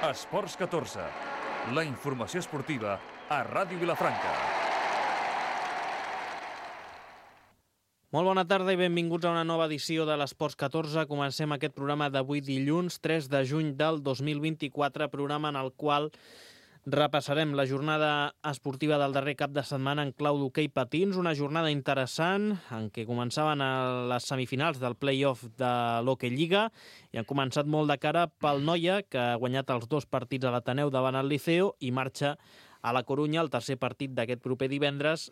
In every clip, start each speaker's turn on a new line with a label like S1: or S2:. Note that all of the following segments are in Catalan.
S1: Esports 14, la informació esportiva a Ràdio Vilafranca.
S2: Molt bona tarda i benvinguts a una nova edició de l'Esports 14. Comencem aquest programa d'avui dilluns, 3 de juny del 2024, programa en el qual repassarem la jornada esportiva del darrer cap de setmana en clau d'hoquei patins, una jornada interessant en què començaven les semifinals del play-off de l'Hockey Lliga i han començat molt de cara pel Noia, que ha guanyat els 2 partits a l'Ateneu davant el Liceo i marxa a la Corunya, el tercer partit d'aquest proper divendres,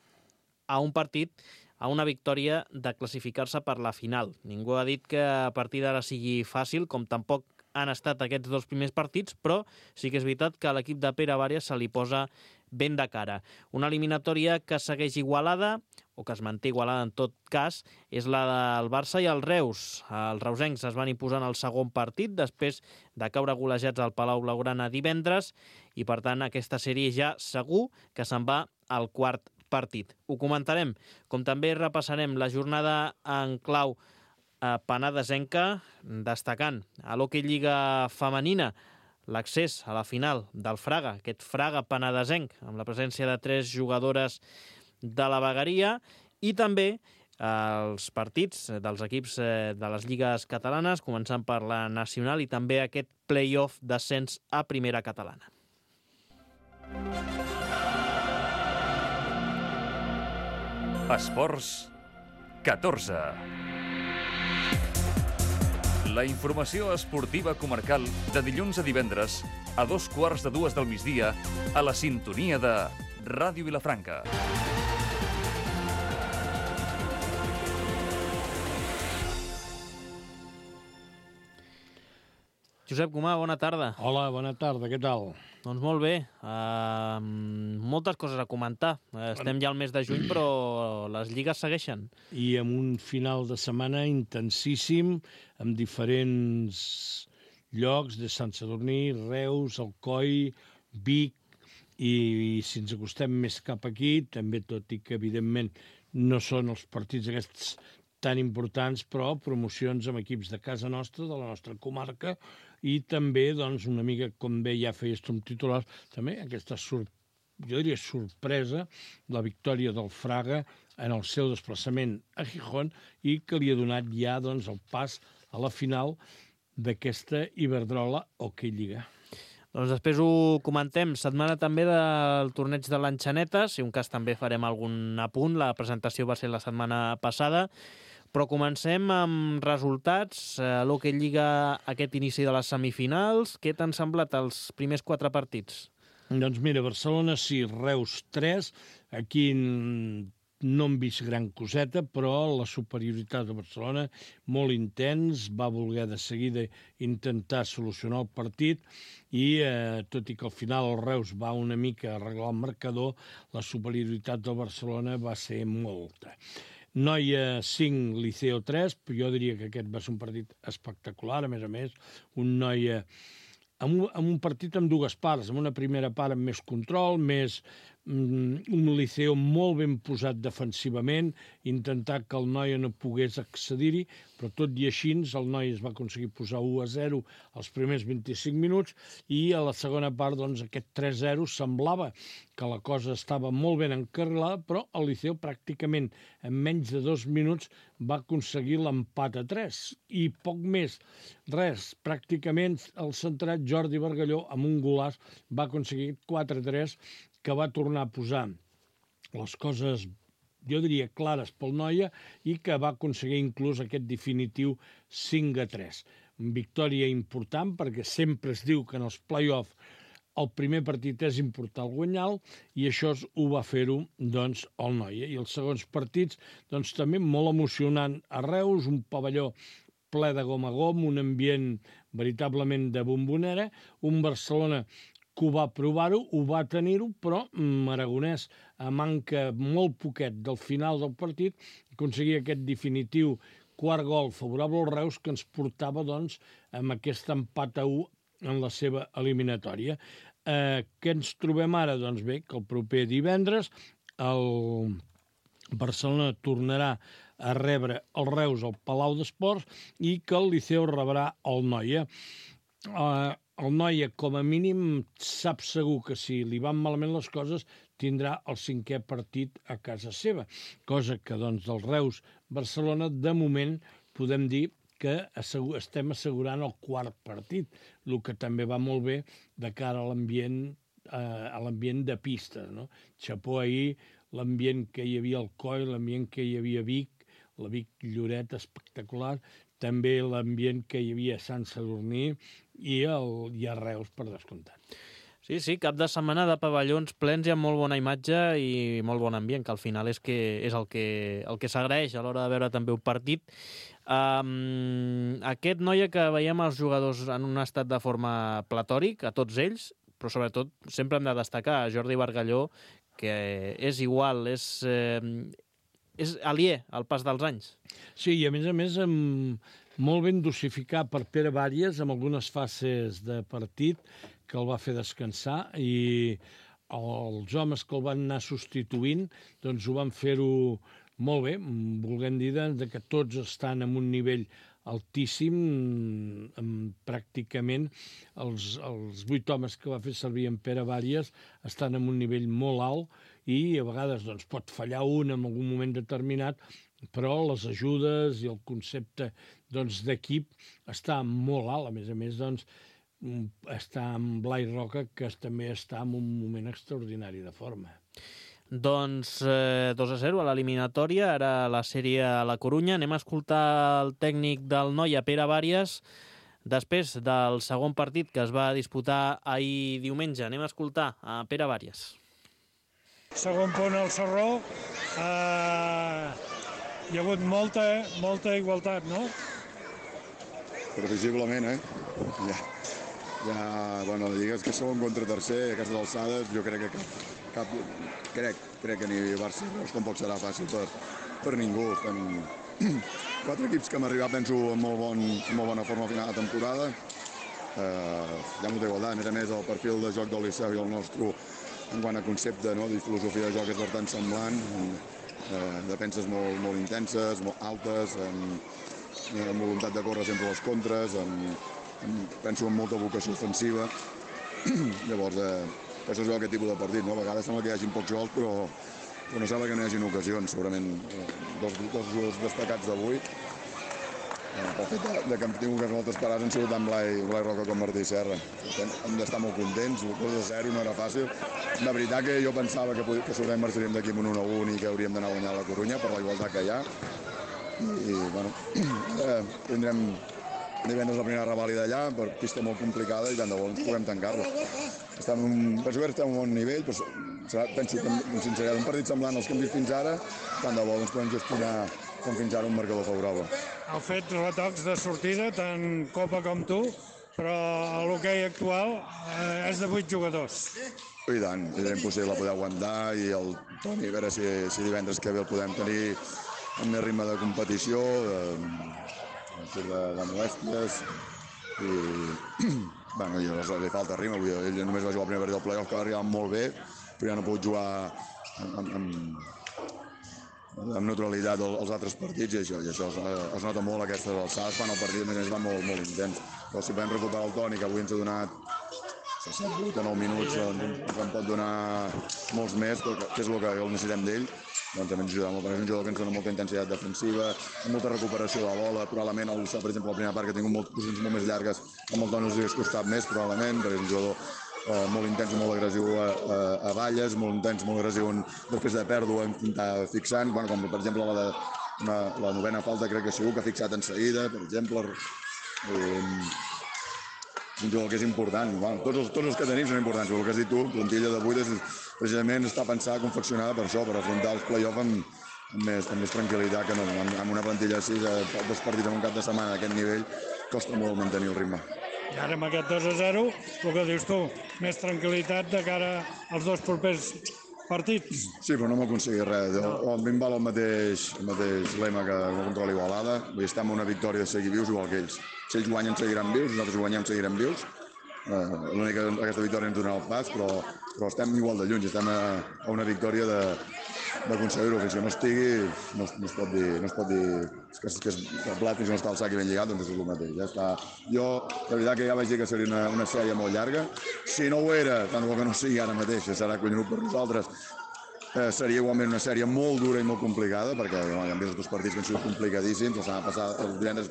S2: a un partit, a una victòria de classificar-se per la final. Ningú ha dit que a partir d'ara sigui fàcil, com tampoc han estat aquests 2 primers partits, però sí que és veritat que a l'equip de Pere Vàrias se li posa ben de cara. Una eliminatòria que segueix igualada, o que es manté igualada en tot cas, és la del Barça i el Reus. Els reusencs es van imposar en el segon partit, després de caure golejats al Palau Blaugrana divendres, i per tant aquesta sèrie ja segur que se'n va al quart partit. Ho comentarem, com també repassarem la jornada en clau penedesenca, destacant a l'Hockey Lliga femenina l'accés a la final del Fraga, aquest Fraga penedesenc, amb la presència de 3 jugadores de la vegueria, i també els partits dels equips de les lligues catalanes, començant per la nacional i també aquest play-off d'ascens a primera catalana.
S1: Esports 14. La informació esportiva comarcal de dilluns a divendres a 2:15 del migdia a la sintonia de Ràdio Vilafranca.
S2: Josep Comà, bona tarda.
S3: Hola, bona tarda, què tal?
S2: Doncs molt bé, moltes coses a comentar. Estem ja al mes de juny, però les lligues segueixen.
S3: I amb un final de setmana intensíssim, amb diferents llocs de Sant Sadurní, Reus, Alcoi, Vic, i si ens acostem més cap aquí, també tot i que evidentment no són els partits aquests tan importants, però promocions amb equips de casa nostra, de la nostra comarca, i també, doncs, una mica, com bé ja feies tu amb titulars, també aquesta, jo diria, sorpresa, la victòria del Fraga en el seu desplaçament a Gijón i que li ha donat ja, doncs, el pas a la final d'aquesta Iberdrola Hockey Lliga.
S2: Doncs després ho comentem. Setmana també del torneig de l'Enxaneta, si un cas també farem algun apunt, la presentació va ser la setmana passada, però comencem amb resultats. L'Hockey Lliga, aquest inici de les semifinals, què t'han semblat els primers 4 partits?
S3: Doncs mira, Barcelona sí, Reus 3, aquí no hem vist gran coseta, però la superioritat de Barcelona, molt intens, va voler de seguida intentar solucionar el partit i, tot i que al final el Reus va una mica arreglar el marcador, la superioritat del Barcelona va ser molta. Noia 5, Liceo 3, però jo diria que aquest va ser un partit espectacular, a més, un Noia amb un partit amb 2 parts, amb una primera part amb més control, més un Liceo molt ben posat defensivament, intentar que el Noia no pogués accedir-hi, però tot i així el Noia es va aconseguir posar 1-0 als primers 25 minuts i a la segona part, doncs, aquest 3-0 semblava que la cosa estava molt ben encarrilada, però el Liceo pràcticament en menys de 2 minuts va aconseguir l'empat a 3 i poc més, res, pràcticament el centrat Jordi Bargalló amb un golaç va aconseguir 4-3 que va tornar a posar les coses, jo diria, clares pel Noia i que va aconseguir inclús aquest definitiu 5-3. Victòria important perquè sempre es diu que en els play-off el primer partit és important guanyar-lo i això ho va fer-ho, doncs, el Noia. I els segons partits, doncs, també molt emocionant a Reus, un pavelló ple de gom a gom, un ambient veritablement de bombonera, un Barcelona que ho va provar-ho, ho va tenir-ho, però Aragonès, a manca molt poquet del final del partit, aconseguia aquest definitiu quart gol favorable al Reus que ens portava, doncs, amb aquest empat a 1 en la seva eliminatòria. Què ens trobem ara? Doncs bé, que el proper divendres el Barcelona tornarà a rebre el Reus al Palau d'Esports i que el Liceu rebrà el Noia. el Noia, com a mínim, sap segur que si li van malament les coses tindrà el 5è partit a casa seva, cosa que, doncs, del Reus-Barcelona, de moment, podem dir que estem assegurant el 4è partit, el que també va molt bé de cara a l'ambient de pista, no? Xapó ahir, l'ambient que hi havia al Coi, l'ambient que hi havia a Vic, la Vic-Lloret espectacular, també l'ambient que hi havia a Sant Sadurní i a Reus, per descomptat.
S2: Sí, cap de setmana de pavellons plens i amb molt bona imatge i molt bon ambient, que al final és el que s'agraeix a l'hora de veure també un partit. Aquest Noia que veiem els jugadors en un estat de forma platòric, a tots ells, però sobretot sempre hem de destacar a Jordi Bargalló, que és igual, és aliè al pas dels anys.
S3: Sí, i a més, molt ben dosificat per Pere Bàries amb algunes fases de partit que el va fer descansar i els homes que el van anar substituint doncs ho van fer-ho molt bé, volent dir que tots estan en un nivell altíssim, pràcticament els 8 homes que va fer servir en Pere Bàries estan en un nivell molt alt i a vegades doncs, pot fallar un en algun moment determinat, però les ajudes i el concepte d'equip està molt alt. A més, doncs, està amb Blai Roca, que també està en un moment extraordinari de forma.
S2: Doncs 2-0 a l'eliminatòria, ara la sèrie a la Corunya. Anem a escoltar el tècnic del Noia, Pere Bàries, després del segon partit que es va disputar ahir diumenge. Anem a escoltar a Pere Bàries.
S4: Segon punt al Sarró. Hi ha hagut molta igualtat, no?
S5: Previsiblement, bueno, digues que segon contra tercer, a aquestes alçades, jo crec que crec que ni Barça ni Reus tampoc serà fàcil per ningú. Estan 4 equips que hem arribat, penso, en molt bona forma a final de temporada. Hi ha molta igualtat, a més, el perfil de joc del Liceu i el nostre, en quant a concepte, no, de filosofia de joc és bastant semblant, defenses molt intenses, molt altes, amb voluntat de córrer sempre les contres, penso en molta vocació ofensiva. Llavors, això es veu aquest tipus de partit, no? A vegades sembla que hi hagi pocs gols, però no sembla que no hi hagi ocasions. Segurament dos jugadors destacats d'avui, pel fet que hem tingut moltes parades, han sigut tant Blai Roca com Martí Serra. Hem d'estar molt contents, el 2-0 no era fàcil. De veritat que jo pensava que segurament marxaríem d'aquí amb un 1-1 i que hauríem d'anar a guanyar la Corunya per la igualtat que hi ha. I, bueno, tindrem divendres la primera revàlida allà, per pista molt complicada i tant de bo ens puguem tancar-la. Penso que estem a un bon nivell, però penso que, amb sinceritat, un partit semblant als que hem vist fins ara, tant de bo ens podem gestionar com fins ara un marcador favorable.
S4: Heu fet retocs de sortida, tant Copa com tu, però l'hoquei actual és de 8 jugadors.
S5: I tant, és impossible poder aguantar i el Toni, a veure si divendres que ve el podem tenir amb més ritme de competició, de molèsties i bueno, li falta ritme, ell només va jugar el primer partit del playoff que va arribar molt bé, però ja no ha pogut jugar amb neutralitat els altres partits i això es nota molt aquestes alçades quan el partit a més va molt intens. Però si podem recuperar el Toni, que avui ens ha donat 7, 8 o 9 minuts, ens en pot donar molts més, que és el que necessitem d'ell, doncs també ens ajuda molt. És un jugador que ens dona molta intensitat defensiva, molta recuperació de la bola, probablement el Liceu, per exemple, la primera part, que ha tingut posicions molt més llargues, amb el Toni els hagués costat més, probablement, perquè és un jugador molt intens i molt agressiu a balles, molt intens, molt agressiu després de pèrdua, intentar fixant, bueno, com per exemple la 9ª falta crec que segur que ha fixat en seguida, per exemple. Un jugador que és important. Bueno, tots els que tenim són importants, però el que has dit tu, plantilla de 8 precisament està pensada, confeccionada per això, per afrontar els play-off amb més tranquil·litat que no. Amb una plantilla així, dos partits en un cap de setmana d'aquest nivell, costa molt mantenir el ritme.
S4: I ara amb aquest 2-0, el que dius tu, més tranquil·litat de cara als dos propers partits.
S5: Sí, però no m'aconseguit res. A mi em val el mateix lema que no contra l'Igualada. Vull dir, estar amb una victòria de seguir vius igual que ells. Si ells guanyen, seguiran vius, nosaltres guanyem, seguirem vius. L'única que aquesta victòria ens donarà el pas, però estem igual de lluny. Estem a una victòria d'aconseguir-ho. Fins que no estigui, no es pot dir que és blat fins que no està el sac i ben lligat, doncs és el mateix. Ja està. Jo, de veritat que ja vaig dir que seria una sèrie molt llarga. Si no ho era, tant bo que no sigui ara mateix, serà collonut per nosaltres, seria igualment una sèrie molt dura i molt complicada, perquè hi han vist els dos partits que han sigut complicadíssims, el divendres,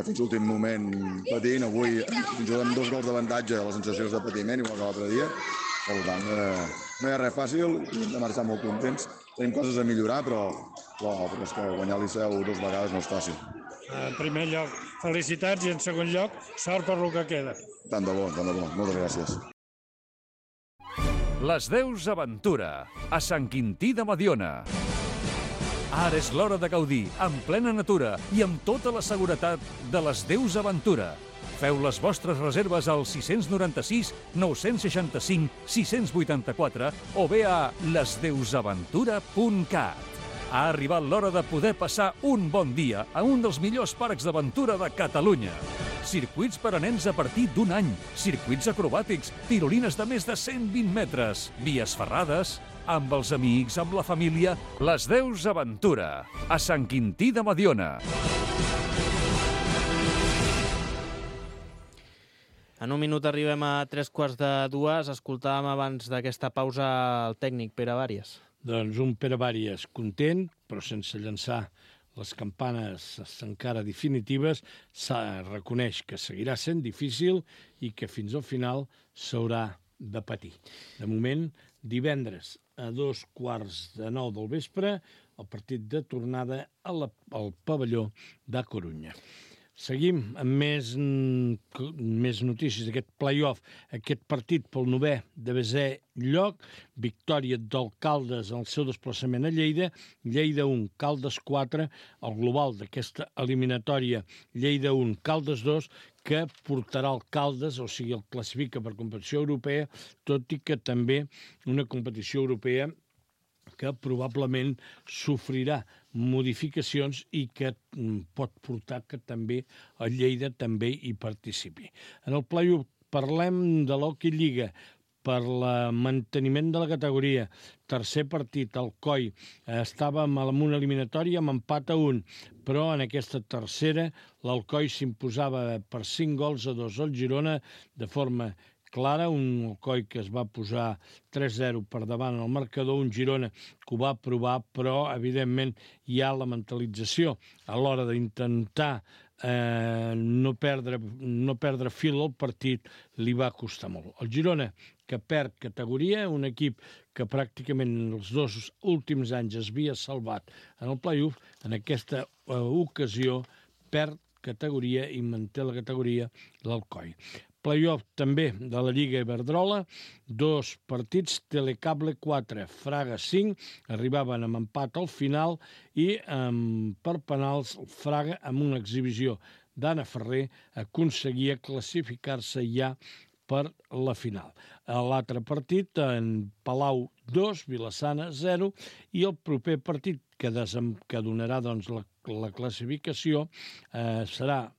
S5: fins l'últim moment patint, avui ens juguem 2 gols d'avantatge, les sensacions de patiment, igual que l'altre dia. Per tant, no hi ha res fàcil, hem de marxar molt contents. Tenim coses a millorar, però és que guanyar el Liceu 2 vegades no és fàcil.
S4: En primer lloc, felicitats, i en segon lloc, sort per lo que queda.
S5: Tant de bo. Moltes gràcies.
S1: Les Deus Aventura, a Sant Quintí de Mediona. Ara és l'hora de gaudir, en plena natura i amb tota la seguretat de les Deus Aventura. Feu les vostres reserves al 696 965 684 o bé a lesdeusaventura.cat. Ha arribat l'hora de poder passar un bon dia a un dels millors parcs d'aventura de Catalunya. Circuits per a nens a partir d'1 any, circuits acrobàtics, tirolines de més de 120 metres, vies ferrades, amb els amics, amb la família, les Deus Aventura, a Sant Quintí de Mediona.
S2: En un minut arribem a 3:45. Escoltàvem abans d'aquesta pausa el tècnic Pere Vàries.
S3: Doncs un Pere Vàries content, però sense llançar les campanes encara definitives. Reconeix que seguirà sent difícil i que fins al final s'haurà de patir. De moment, divendres a 8:15 del vespre, el partit de tornada al pavelló de Corunya. Seguim amb més notícies d'aquest play-off. Aquest partit pel 9è de desè lloc, victòria del Caldes en el seu desplaçament a Lleida, Lleida 1, Caldes 4, el global d'aquesta eliminatòria, Lleida 1, Caldes 2, que portarà el Caldes, o sigui, el classifica per competició europea, tot i que també una competició europea que probablement sofrirà modificacions i que pot portar que també el Lleida també hi participi. En el play-off parlem de l'Hockey Lliga per el manteniment de la categoria. Tercer partit, el COI. Estàvem en una eliminatòria amb empat a 1, però en aquesta tercera l'Alcoi s'imposava per 5-2 al Girona de forma clara, un Alcoi que es va posar 3-0 per davant al marcador, un Girona que ho va provar, però evidentment hi ha la mentalització a l'hora d'intentar no perdre fil al partit, li va costar molt. El Girona, que perd categoria, un equip que pràcticament els 2 últims anys es havia salvat en el play-off, en aquesta ocasió perd categoria i manté la categoria l'Alcoi. Play-off també de la Lliga Iberdrola, 2 partits, Telecable 4, Fraga 5, arribaven amb empat al final i per penals el Fraga, amb una exhibició d'Anna Ferrer, aconseguia classificar-se ja per la final. L'altre partit, en Palau 2, Vilassana 0, i el proper partit que donarà doncs, la classificació serà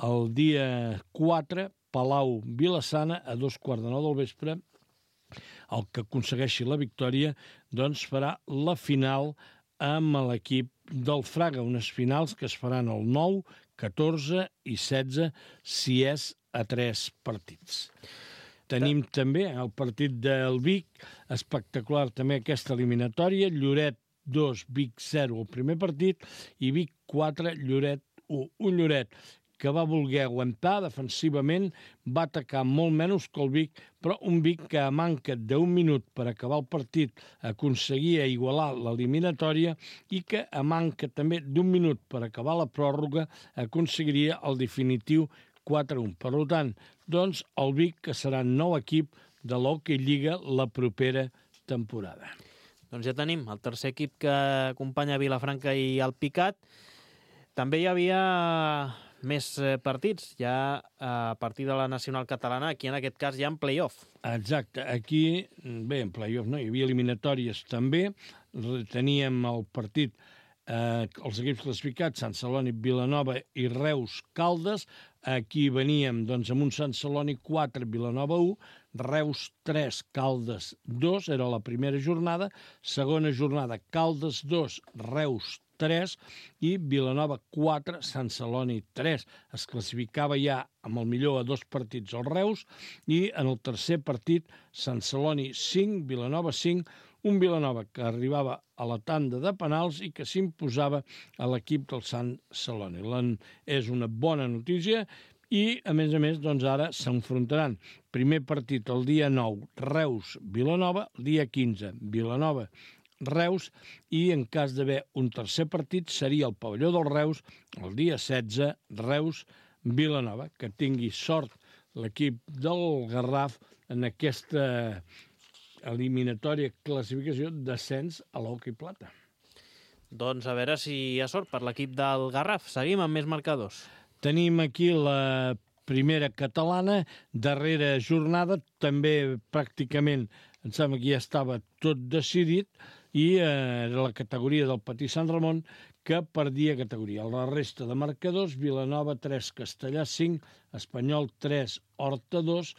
S3: el dia 4, Palau-Vilassana, a 2:15 del vespre. El que aconsegueixi la victòria doncs farà la final amb l'equip del Fraga, unes finals que es faran el 9, 14 i 16, si és a 3 partits. Tenim també el partit del Vic, espectacular també aquesta eliminatòria, Lloret 2, Vic 0 el primer partit, i Vic 4, Lloret 1. Un Lloret que va voler aguantar defensivament, va atacar molt menys que el Vic, però un Vic que a manca d'1 minut per acabar el partit aconseguia igualar l'eliminatòria i que a manca també d'1 minut per acabar la pròrroga aconseguiria el definitiu 4-1. Per tant, doncs, el Vic que serà nou equip de l'Hockey Lliga la propera temporada.
S2: Doncs ja tenim el tercer equip que acompanya Vilafranca i el Picat. També hi havia més partits, ja a partir de la Nacional Catalana, aquí en aquest cas ja en play-off.
S3: Exacte, aquí, bé, en play-off no, hi havia eliminatòries també, teníem el partit, els equips classificats, Sant Celoni, Vilanova i Reus, Caldes, aquí veníem doncs, amb un Sant Celoni 4, Vilanova 1, Reus 3, Caldes 2, era la primera jornada. Segona jornada, Caldes 2, Reus 3 i Vilanova 4, Sant Celoni 3. Es classificava ja amb el millor a 2 partits el Reus i en el tercer partit Sant Celoni 5, Vilanova 5, un Vilanova que arribava a la tanda de penals i que s'imposava a l'equip del Sant Celoni. És una bona notícia i, a més, doncs ara s'enfrontaran. Primer partit el dia 9, Reus-Vilanova, el dia 15, Vilanova-Reus, i en cas d'haver un tercer partit seria el pavelló del Reus, el dia 16, Reus-Vilanova. Que tingui sort l'equip del Garraf en aquesta eliminatòria classificació d'ascens a l'hoquei plata.
S2: Doncs a veure si hi ha sort per l'equip del Garraf. Seguim amb més marcadors.
S3: Tenim aquí la primera catalana, darrera jornada, també pràcticament, em sembla que ja estava tot decidit, i era la categoria del Patí Sant Ramon que perdia categoria. La resta de marcadors, Vilanova 3, Castellà 5, Espanyol 3, Horta 2,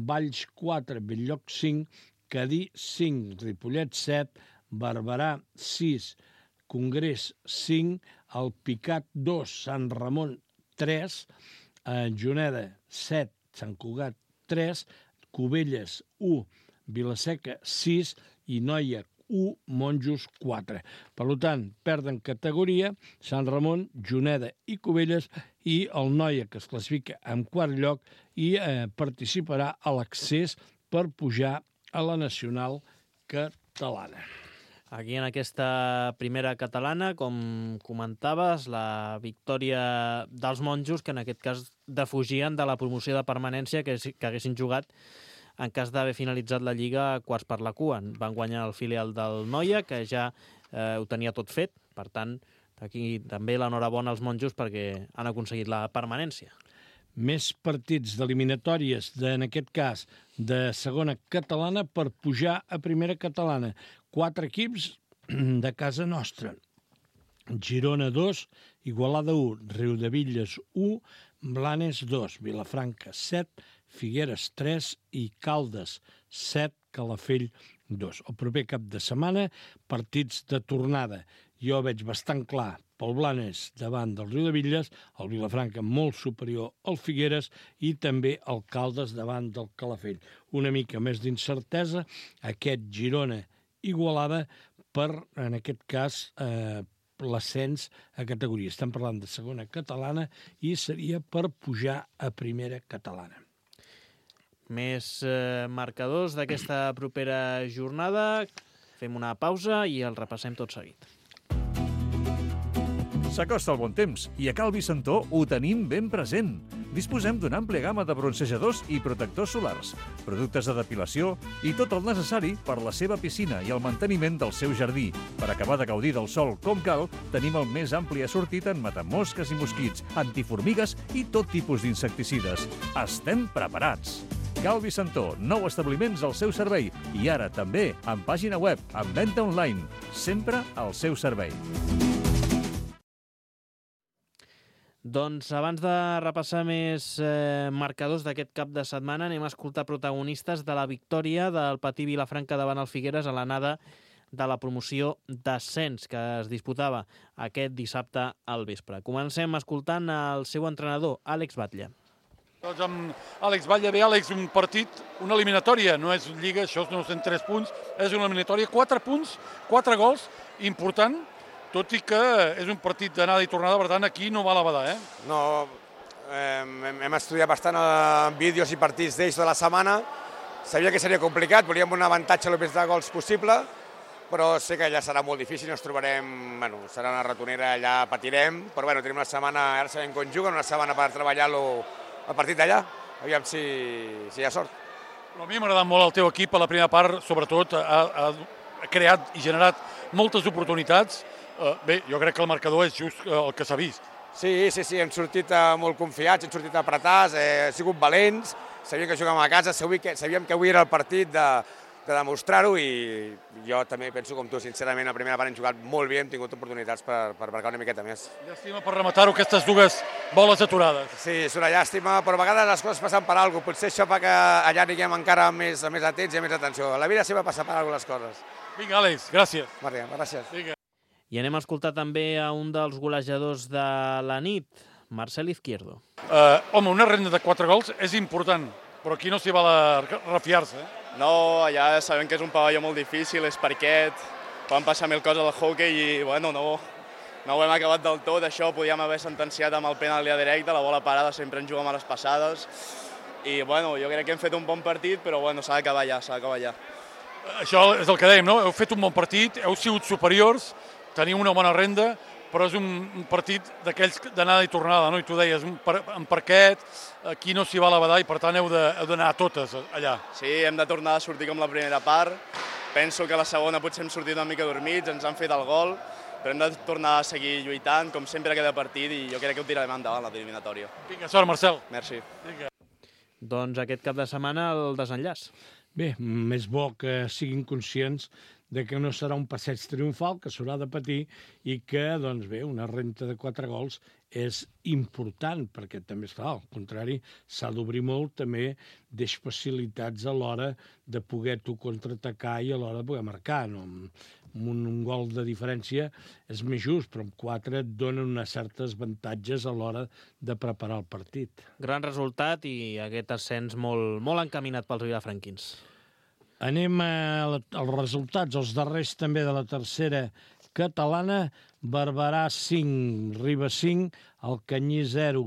S3: Valls 4, Bell-lloc 5, Cadí 5, Ripollet 7, Barberà 6, Congrés 5, Alpicat 2, Sant Ramon 3, Juneda 7, Sant Cugat 3, Cubelles 1, Vilaseca 6 i Noia 1, Monjos 4. Per tant, perden categoria Sant Ramon, Juneda i Cubelles i el Noia, que es classifica en quart lloc i participarà a l'accés per pujar a la nacional catalana.
S2: Aquí en aquesta primera catalana, com comentaves, la victòria dels monjos, que en aquest cas defugien de la promoció de permanència que haguessin jugat en cas d'haver finalitzat la Lliga a quarts per la cua. Van guanyar el filial del Noia, que ja ho tenia tot fet. Per tant, aquí també l'enhorabona als monjos perquè han aconseguit la permanència.
S3: Més partits d'eliminatòries, en aquest cas de segona catalana, per pujar a primera catalana. 4 equips de casa nostra. Girona 2, Igualada 1, Riudebitlles 1, Blanes 2, Vilafranca 7, Figueres 3 i Caldes 7, Calafell 2. El proper cap de setmana, partits de tornada. Jo veig bastant clar pel Blanes davant del Riudebitlles, el Vilafranca molt superior al Figueres i també el Caldes davant del Calafell. Una mica més d'incertesa, aquest Girona-Igualada per, en aquest cas, l'ascens a categoria. Estem parlant de segona catalana i seria per pujar a primera catalana.
S2: Més marcadors d'aquesta propera jornada. Fem una pausa i el repassem tot seguit.
S1: S'acosta el bon temps i a Cal Vicentó ho tenim ben present. Disposem d'una àmplia gamma de bronzejadors i protectors solars, productes de depilació i tot el necessari per la seva piscina i el manteniment del seu jardí. Per acabar de gaudir del sol com cal, tenim el més ampli assortit en matamosques i mosquits, antiformigues i tot tipus d'insecticides. Estem preparats! Cal Vicentó, 9 establiments al seu servei i ara també amb pàgina web, amb venda online, sempre al seu servei.
S2: Doncs abans de repassar més marcadors d'aquest cap de setmana, anem a escoltar protagonistes de la victòria del Patí Vilafranca davant el Figueres a l'anada de la promoció d'ascens que es disputava aquest dissabte al vespre. Comencem escoltant el seu entrenador, Àlex Batlle.
S6: Doncs amb Àlex Batlle. Bé, Àlex, un partit, una eliminatòria, no és lliga, això no són 3 punts, és una eliminatòria, 4 punts, 4 gols, important, tot i que és un partit d'anada i tornada, per tant, aquí no val a badar,
S7: No, hem estudiat bastant vídeos i partits d'ells de la setmana, sabia que seria complicat, volíem un avantatge el més de gols possible, però sé que allà serà molt difícil, ens trobarem, serà una ratonera, allà patirem, però tenim una setmana, ara sabem com juguen, una setmana per treballar-lo el partit d'allà, aviam si hi ha sort.
S6: A mi m'ha agradat molt el teu equip a la primera part, sobretot ha creat i generat moltes oportunitats. Bé, jo crec que el marcador és just el que s'ha vist.
S7: Sí, hem sortit molt confiats, hem sortit apretats, hem sigut valents, sabíem que jugàvem a casa, sabíem que avui era el partit de demostrar-ho, i jo també penso com tu, sincerament, a primera part hem jugat molt bé, hem tingut oportunitats per marcar una miqueta més.
S6: Llàstima per rematar-ho, aquestes dues boles aturades.
S7: Sí, és una llàstima, però a vegades les coses passen per alguna cosa. Potser això fa que allà aniguem encara més atents i més atenció. La vida sempre passa per alguna les coses.
S6: Vinga, Àlex, gràcies.
S7: Maria, gràcies.
S6: Vinga.
S2: I anem a escoltar també a un dels golejadors de la nit, Marcel Izquierdo.
S6: Home, una renda de 4 gols és important, però aquí no s'hi val a refiar-se.
S8: No, allà sabem que és un pavelló molt difícil, és parquet, van passar mil coses al hockey i bueno, no ho hem acabat del tot. Això ho podíem haver sentenciat amb el penal a directe, la bola parada sempre en juguem a les passades. I bueno, jo crec que hem fet un bon partit, però bueno, s'ha d'acabar ja,
S6: Això és el que dèiem, no? Heu fet un bon partit, heu sigut superiors, teniu una bona renda, però és un partit d'aquells d'anada i tornada, no? I tu deies, en parquet, aquí no s'hi va a la badall, i per tant heu d'anar a totes allà.
S8: Sí, hem de tornar a sortir com la primera part. Penso que la segona potser hem sortit una mica dormits, ens han fet el gol, però hem de tornar a seguir lluitant, com sempre a cada partit, i jo crec que ho tirarem endavant, la eliminatòria.
S6: Vinga, sort, Marcel.
S8: Merci.
S6: Vinga.
S2: Doncs aquest cap de setmana el desenllaç.
S3: Bé, més bo que siguin conscients de que no serà un passeig triomfal, que s'haurà de patir i que, doncs bé, una renta de 4 gols és important, perquè també, esclar, al contrari, s'ha d'obrir molt, també deix facilitats a l'hora de poder tu contraatacar i a l'hora de poder marcar. No? Amb un gol de diferència és més just, però amb 4 et donen unes certes avantatges a l'hora de preparar el partit.
S2: Gran resultat i aquest ascens molt encaminat pels vilafranquins.
S3: Anem als resultats, els darrers també de la tercera catalana. Barberà 5, Ribes 5, Alcanyí 0,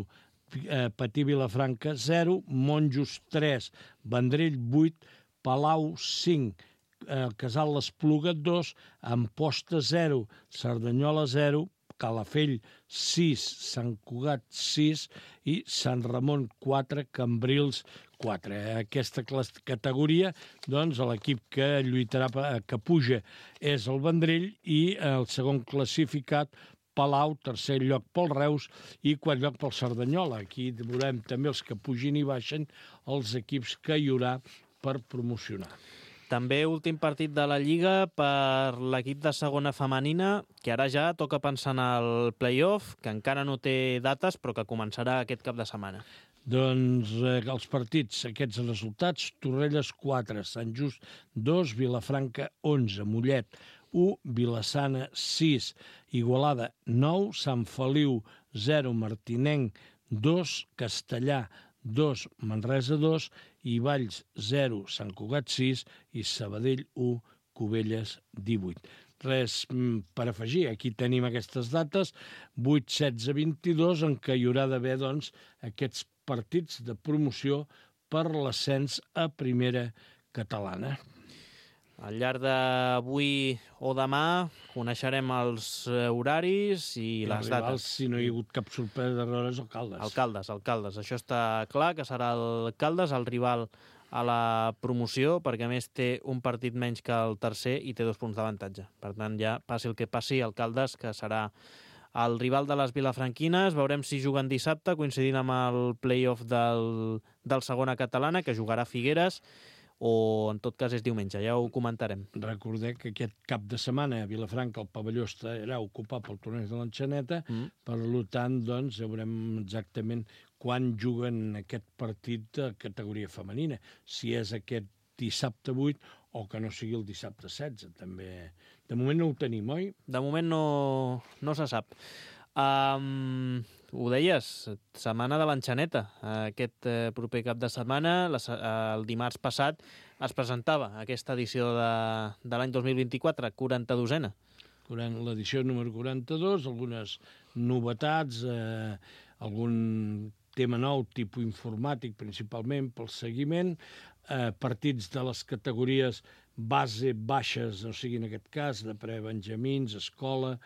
S3: Patí Vilafranca 0, Monjos 3, Vendrell 8, Palau 5, Casal l'Espluga 2, Amposta 0, Cerdanyola 0, Calafell 6, Sant Cugat 6 i Sant Ramon 4, Cambrils 4. Aquesta categoria, doncs, l'equip que lluitarà, que puja, és el Vendrell i el segon classificat, Palau, tercer lloc pel Reus i quart lloc pel Cerdanyola. Aquí veurem també els que pugin i baixen, els equips que hi haurà per promocionar.
S2: També últim partit de la Lliga per l'equip de segona femenina, que ara ja toca pensar en el play-off, que encara no té dates, però que començarà aquest cap de setmana.
S3: Doncs els partits, aquests resultats: Torrelles 4, Sant Just 2, Vilafranca 11, Mollet 1, Vilassana 6, Igualada 9, Sant Feliu 0, Martinenc 2, Castellà 2, Manresa 2, i Valls 0, Sant Cugat 6 i Sabadell 1, Cubelles 18. Res per afegir, aquí tenim aquestes dates, 8, 16, 22, en què hi haurà d'haver, doncs, aquests partits de promoció per l'ascens a primera catalana.
S2: Al llarg d'avui o demà coneixerem els horaris i les dates.
S3: Si no hi ha hagut cap sorpresa d'errores,
S2: Alcaldes. Això està clar, que serà el Caldes, el rival a la promoció, perquè a més té un partit menys que el tercer i té 2 punts d'avantatge. Per tant, ja passi el que passi, el Caldes, que serà el rival de les vilafranquines. Veurem si juguen dissabte, coincidint amb el play-off del segona catalana, que jugarà Figueres, o en tot cas és diumenge, ja ho comentarem.
S3: Recordeu que aquest cap de setmana a Vilafranca el pavelló estarà ocupat pel torneig de l'Enxaneta, per tant, doncs, veurem exactament quan juguen aquest partit de categoria femenina, si és aquest dissabte 8 o que no sigui el dissabte 16, també. De moment no ho tenim, oi?
S2: De moment no se sap. Ho deies, setmana de l'Enxaneta. Aquest proper cap de setmana, el dimarts passat, es presentava aquesta edició de l'any 2024, 42a.
S3: L'edició número 42, algunes novetats, algun tema nou, tipus informàtic, principalment pel seguiment, partits de les categories base baixes, o sigui, en aquest cas, de prebenjamins, escola,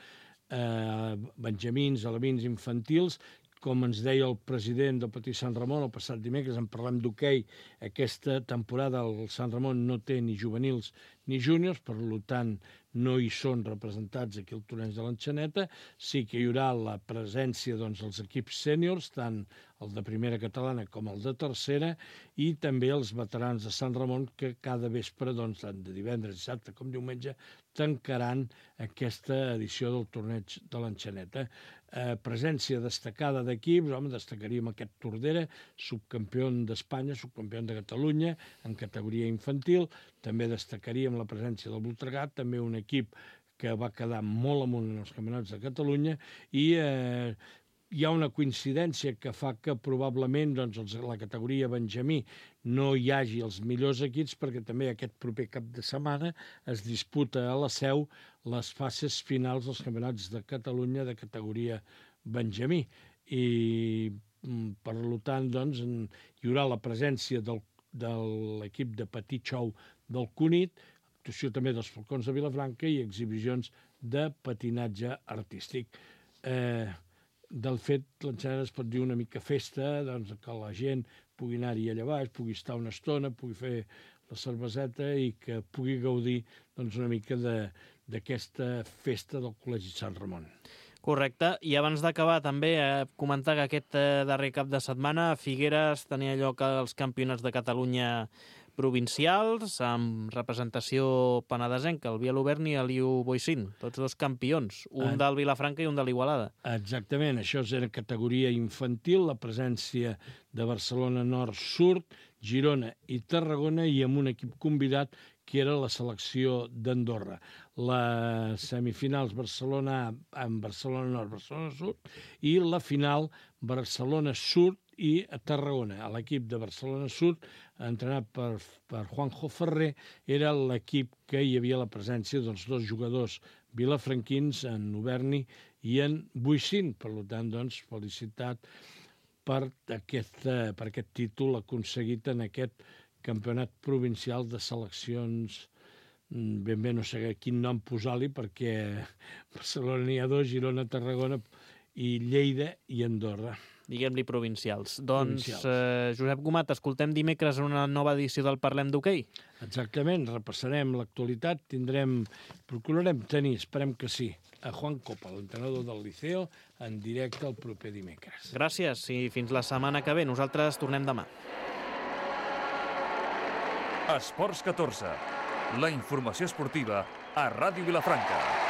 S3: benjamins, alevins, infantils, com ens deia el president del Petit Sant Ramon el passat dimecres, en parlem d'hoquei, aquesta temporada el Sant Ramon no té ni juvenils ni júniors, per tant no hi són representats aquí al torneig de l'Enxaneta. Sí que hi haurà la presència dels equips sèniors, tant el de primera catalana com el de tercera, i també els veterans de Sant Ramon que cada vespre, tant de divendres, dissabte com diumenge, tancaran aquesta edició del torneig de l'Enxaneta. Presència destacada d'equips, destacaríem aquest Tordera, subcampió d'Espanya, subcampió de Catalunya, en categoria infantil. També destacaríem la presència del Voltregà, també un equip que va quedar molt amunt en els campionats de Catalunya, i hi ha una coincidència que fa que probablement la categoria Benjamí no hi hagi els millors equips, perquè també aquest proper cap de setmana es disputa a la Seu les fases finals dels campionats de Catalunya de categoria Benjamí. I per tant hi haurà la presència de l'equip de Petit Xou del Cunit, actuació també dels Falcons de Vilafranca i exhibicions de patinatge artístic. Del fet, l'Enxaneta es pot dir una mica festa, que la gent pugui anar-hi allà baix, pugui estar una estona, pugui fer la cerveseta i que pugui gaudir una mica d'aquesta festa del Col·legi Sant Ramon.
S2: Correcte. I abans d'acabar, també comentar que aquest darrer cap de setmana a Figueres tenia lloc els campionats de Catalunya provincials, amb representació penedesenca, el Biel Obern i el Liu Boixín, tots dos campions, un del Vilafranca i un de l'Igualada.
S3: Exactament, això era categoria infantil, la presència de Barcelona Nord Sud, Girona i Tarragona, i amb un equip convidat que era la selecció d'Andorra. Les semifinals Barcelona amb Barcelona Nord, Barcelona Sud, i la final Barcelona Sud i Tarragona. L'equip de Barcelona Sud, entrenat per Juanjo Ferrer, era l'equip que hi havia la presència dels dos jugadors vilafranquins, en Oberni i en Boixín. Per tant, felicitat per aquest títol aconseguit en aquest campionat provincial de seleccions. Ben bé no sé quin nom posar-li, perquè Barcelona n'hi ha dos, Girona, Tarragona i Lleida i Andorra.
S2: Diguem-li provincials. Doncs, Josep Gomat, escoltem dimecres en una nova edició del Parlem d'Hoquei.
S3: Exactament, repassarem l'actualitat, procurarem tenir, esperem que sí, a Juan Copa, l'entrenador del Liceo, en directe el proper dimecres.
S2: Gràcies i fins la setmana que ve. Nosaltres tornem demà.
S1: Esports 14, la informació esportiva a Ràdio Vilafranca.